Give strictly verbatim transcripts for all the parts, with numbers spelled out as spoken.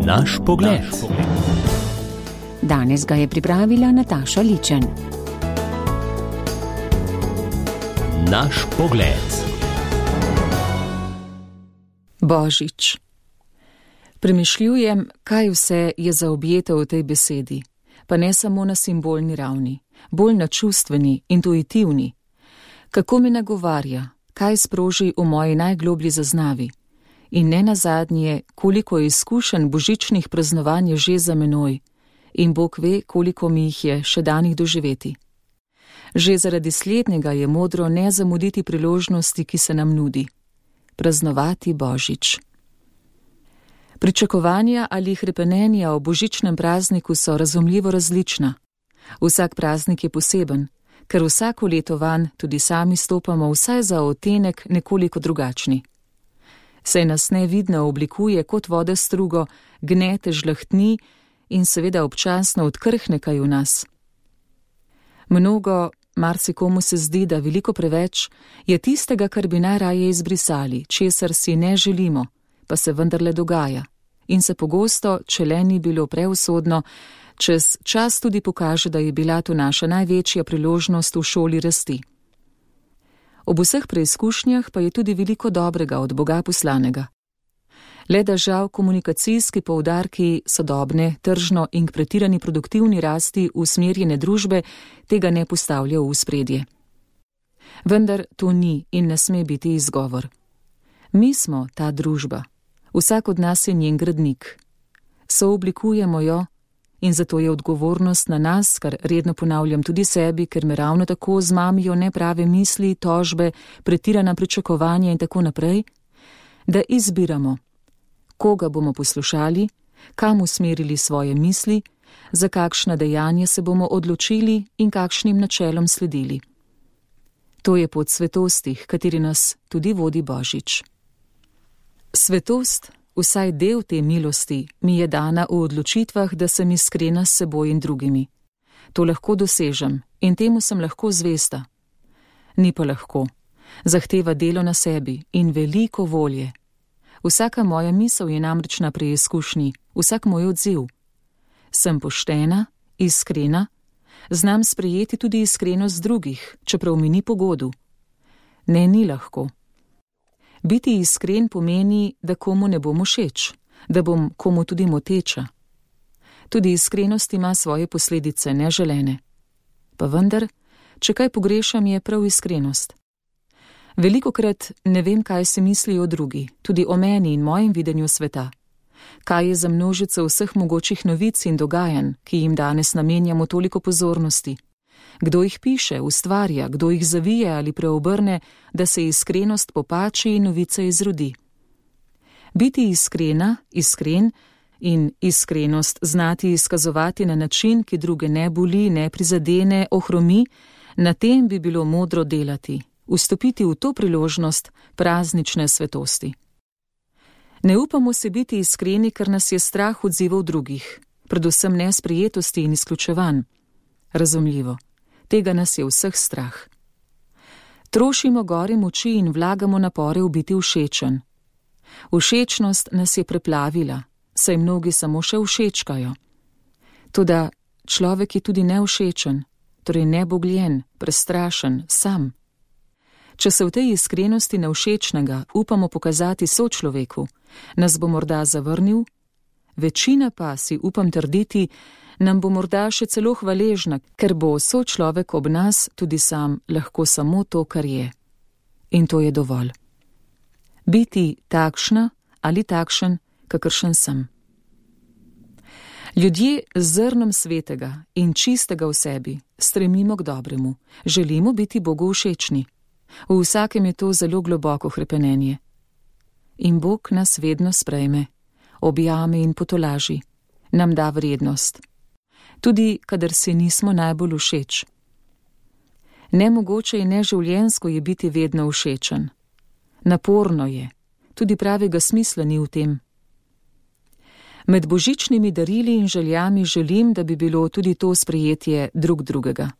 Naš pogled. Danes ga je pripravila Nataša Ličen. Naš pogled. Božič. Premišljujem, kaj vse je zaobjeto v tej besedi, pa ne samo na simbolni ravni, bolj na čustveni, intuitivni. Kako me nagovarja, kaj sproži v moji najgloblji zaznavi in ne nazadnje, koliko je izkušenj božičnih praznovanj že za menoj in Bog ve, koliko mi jih je še danih doživeti. Že zaradi slednjega je modro ne zamuditi priložnosti, ki se nam nudi. Praznovati Božič. Pričakovanja ali hrepenenja o božičnem prazniku so razumljivo različna. Vsak praznik je poseben, ker vsako leto vanj tudi sami stopamo vsaj za odtenek nekoliko drugačni. Saj nas nevidno oblikuje kot voda strugo, gnete, žlahtni in seveda občasno odkrhne kaj v nas. Mnogo, marsikomu se zdi, da veliko preveč, je tistega, kar bi najraje izbrisali, česar si ne želimo, pa se vendarle dogaja. In se pogosto, če le ni bilo preusodno, čez čas tudi pokaže, da je bila to naša največja priložnost v šoli rasti. Ob vseh preizkušnjah pa je tudi veliko dobrega od Boga poslanega. Le da žal komunikacijski poudarki sodobne, tržno in k pretirani produktivni rasti usmerjene družbe tega ne postavljajo v spredje. Vendar to ni in ne sme biti izgovor. Mi smo ta družba. Vsak od nas je njen gradnik. Sooblikujemo jo in zato je odgovornost na nas, kar redno ponavljam tudi sebi, ker me ravno tako zmamijo neprave misli, tožbe, pretirana pričakovanja in tako naprej, da izbiramo, koga bomo poslušali, kam usmerili svoje misli, za kakšna dejanja se bomo odločili in kakšnim načelom sledili. To je pot svetosti, kateri nas tudi vodi Božič. Svetost, vsaj del te milosti, mi je dana v odločitvah, da sem iskrena s seboj in drugimi. To lahko dosežem in temu sem lahko zvesta. Ni pa lahko. Zahteva delo na sebi in veliko volje. Vsaka moja misel je namreč na preizkušnji, vsak moj odziv. Sem poštena, iskrena, znam sprejeti tudi iskrenost drugih, čeprav mi ni pogodu. Ne, ni lahko. Biti iskren pomeni, da komu ne bom všeč, da bom komu tudi moteča. Tudi iskrenost ima svoje posledice neželene. Pa vendar, če kaj pogrešam, je prav iskrenost. Velikokrat ne vem, kaj si mislijo drugi, tudi o meni in mojem videnju sveta. Kaj je za množico vseh mogočih novic in dogajanj, ki jim danes namenjamo toliko pozornosti. Kdo jih piše, ustvarja, kdo jih zavije ali preobrne, da se iskrenost popači in novica izrodi. Biti iskrena, iskren in iskrenost znati izkazovati na način, ki druge ne boli, ne prizadene, ohromi, na tem bi bilo modro delati, vstopiti v to priložnost praznične svetosti. Ne upamo se biti iskreni, ker nas je strah odzivov drugih, predvsem nesprejetosti in izključevanj. Razumljivo. Tega nas je vseh strah. Trošimo gore moči in vlagamo napore v biti všečen. Všečnost nas je preplavila, saj mnogi samo še všečkajo. Toda človek je tudi nevšečen, torej nebogljen, prestrašen, sam. Če se v tej iskrenosti nevšečnega upamo pokazati sočloveku, nas bo morda zavrnil, večina pa, si upam trditi, nam bo morda še celo hvaležna, ker bo sočlovek ob nas tudi sam lahko samo to, kar je. In to je dovolj. Biti takšna ali takšen, kakršen sem. Ljudje z zrnom svetega in čistega v sebi stremimo k dobremu, želimo biti Bogu všečni. V vsakem je to zelo globoko hrepenenje. In Bog nas vedno sprejme, objame in potolaži, nam da vrednost. Tudi, kadar si nismo najbolj všeč. Nemogoče in neživljenjsko je biti vedno všečen. Naporno je, tudi pravega smisla ni v tem. Med božičnimi darili in željami želim, da bi bilo tudi to sprejetje drug drugega.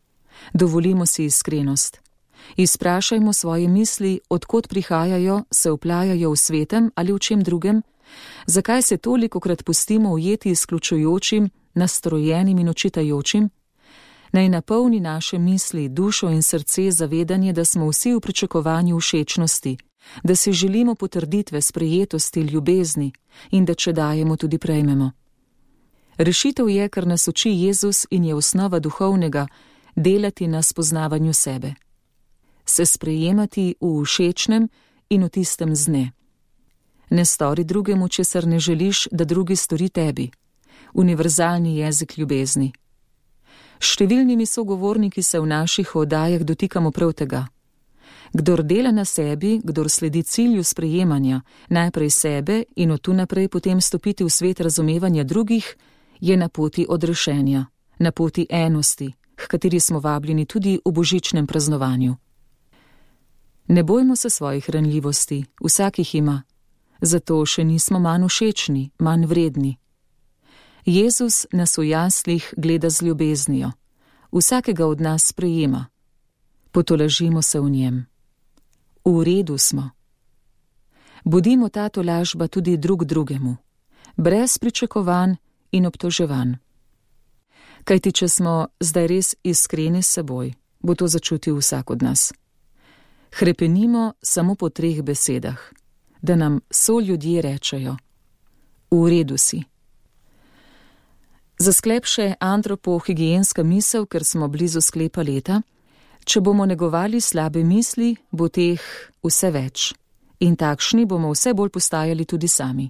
Dovolimo si iskrenost. Izprašajmo svoje misli, odkot prihajajo, se vplajajo v svetem ali v čem drugem, Zakaj se tolikokrat pustimo ujeti izključujočim, nastrojenim in očitajočim? Naj napolni naše misli, dušo in srce zavedanje, da smo vsi v pričakovanju všečnosti, da si želimo potrditve, sprejetosti, ljubezni in da če dajemo, tudi prejmemo. Rešitev je, kar nas uči Jezus in je osnova duhovnega, delati na spoznavanju sebe. Se sprejemati v všečnem in v tistem z ne. Ne stori drugemu, česar ne želiš, da drugi stori tebi. Univerzalni jezik ljubezni. Številnimi sogovorniki se v naših oddajah dotikamo prav tega. Kdor dela na sebi, kdor sledi cilju sprejemanja, najprej sebe in od tu naprej potem stopiti v svet razumevanja drugih, je na poti odrešenja, na poti enosti, h kateri smo vabljeni tudi v božičnem praznovanju. Ne bojmo se svojih ranljivosti, vsak jih ima, zato še nismo manj všečni, manj vredni. Jezus nas v jaslih gleda z ljubeznijo, vsakega od nas sprejema. Potolažimo se v njem. V redu smo. Bodimo ta tolažba tudi drug drugemu, brez pričakovanj in obtoževanj. Kajti, če smo zdaj res iskreni s seboj, bo to začutil vsak od nas. Hrepenimo samo po treh besedah, da nam soljudje rečejo: v redu si. Za sklep še antropohigienska misel, ker smo blizu sklepa leta. Če bomo negovali slabe misli, bo teh vse več in takšni bomo vse bolj postajali tudi sami.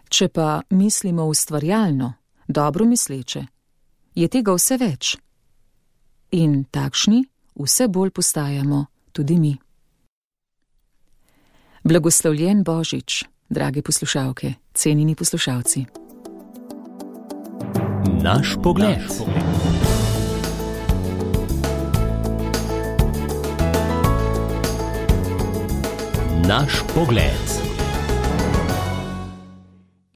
Če pa mislimo ustvarjalno, dobro misleče, je tega vse več in takšni vse bolj postajamo tudi mi. Blagoslovljen Božič, drage poslušalke, cenjeni poslušalci. Naš pogled. Naš pogled.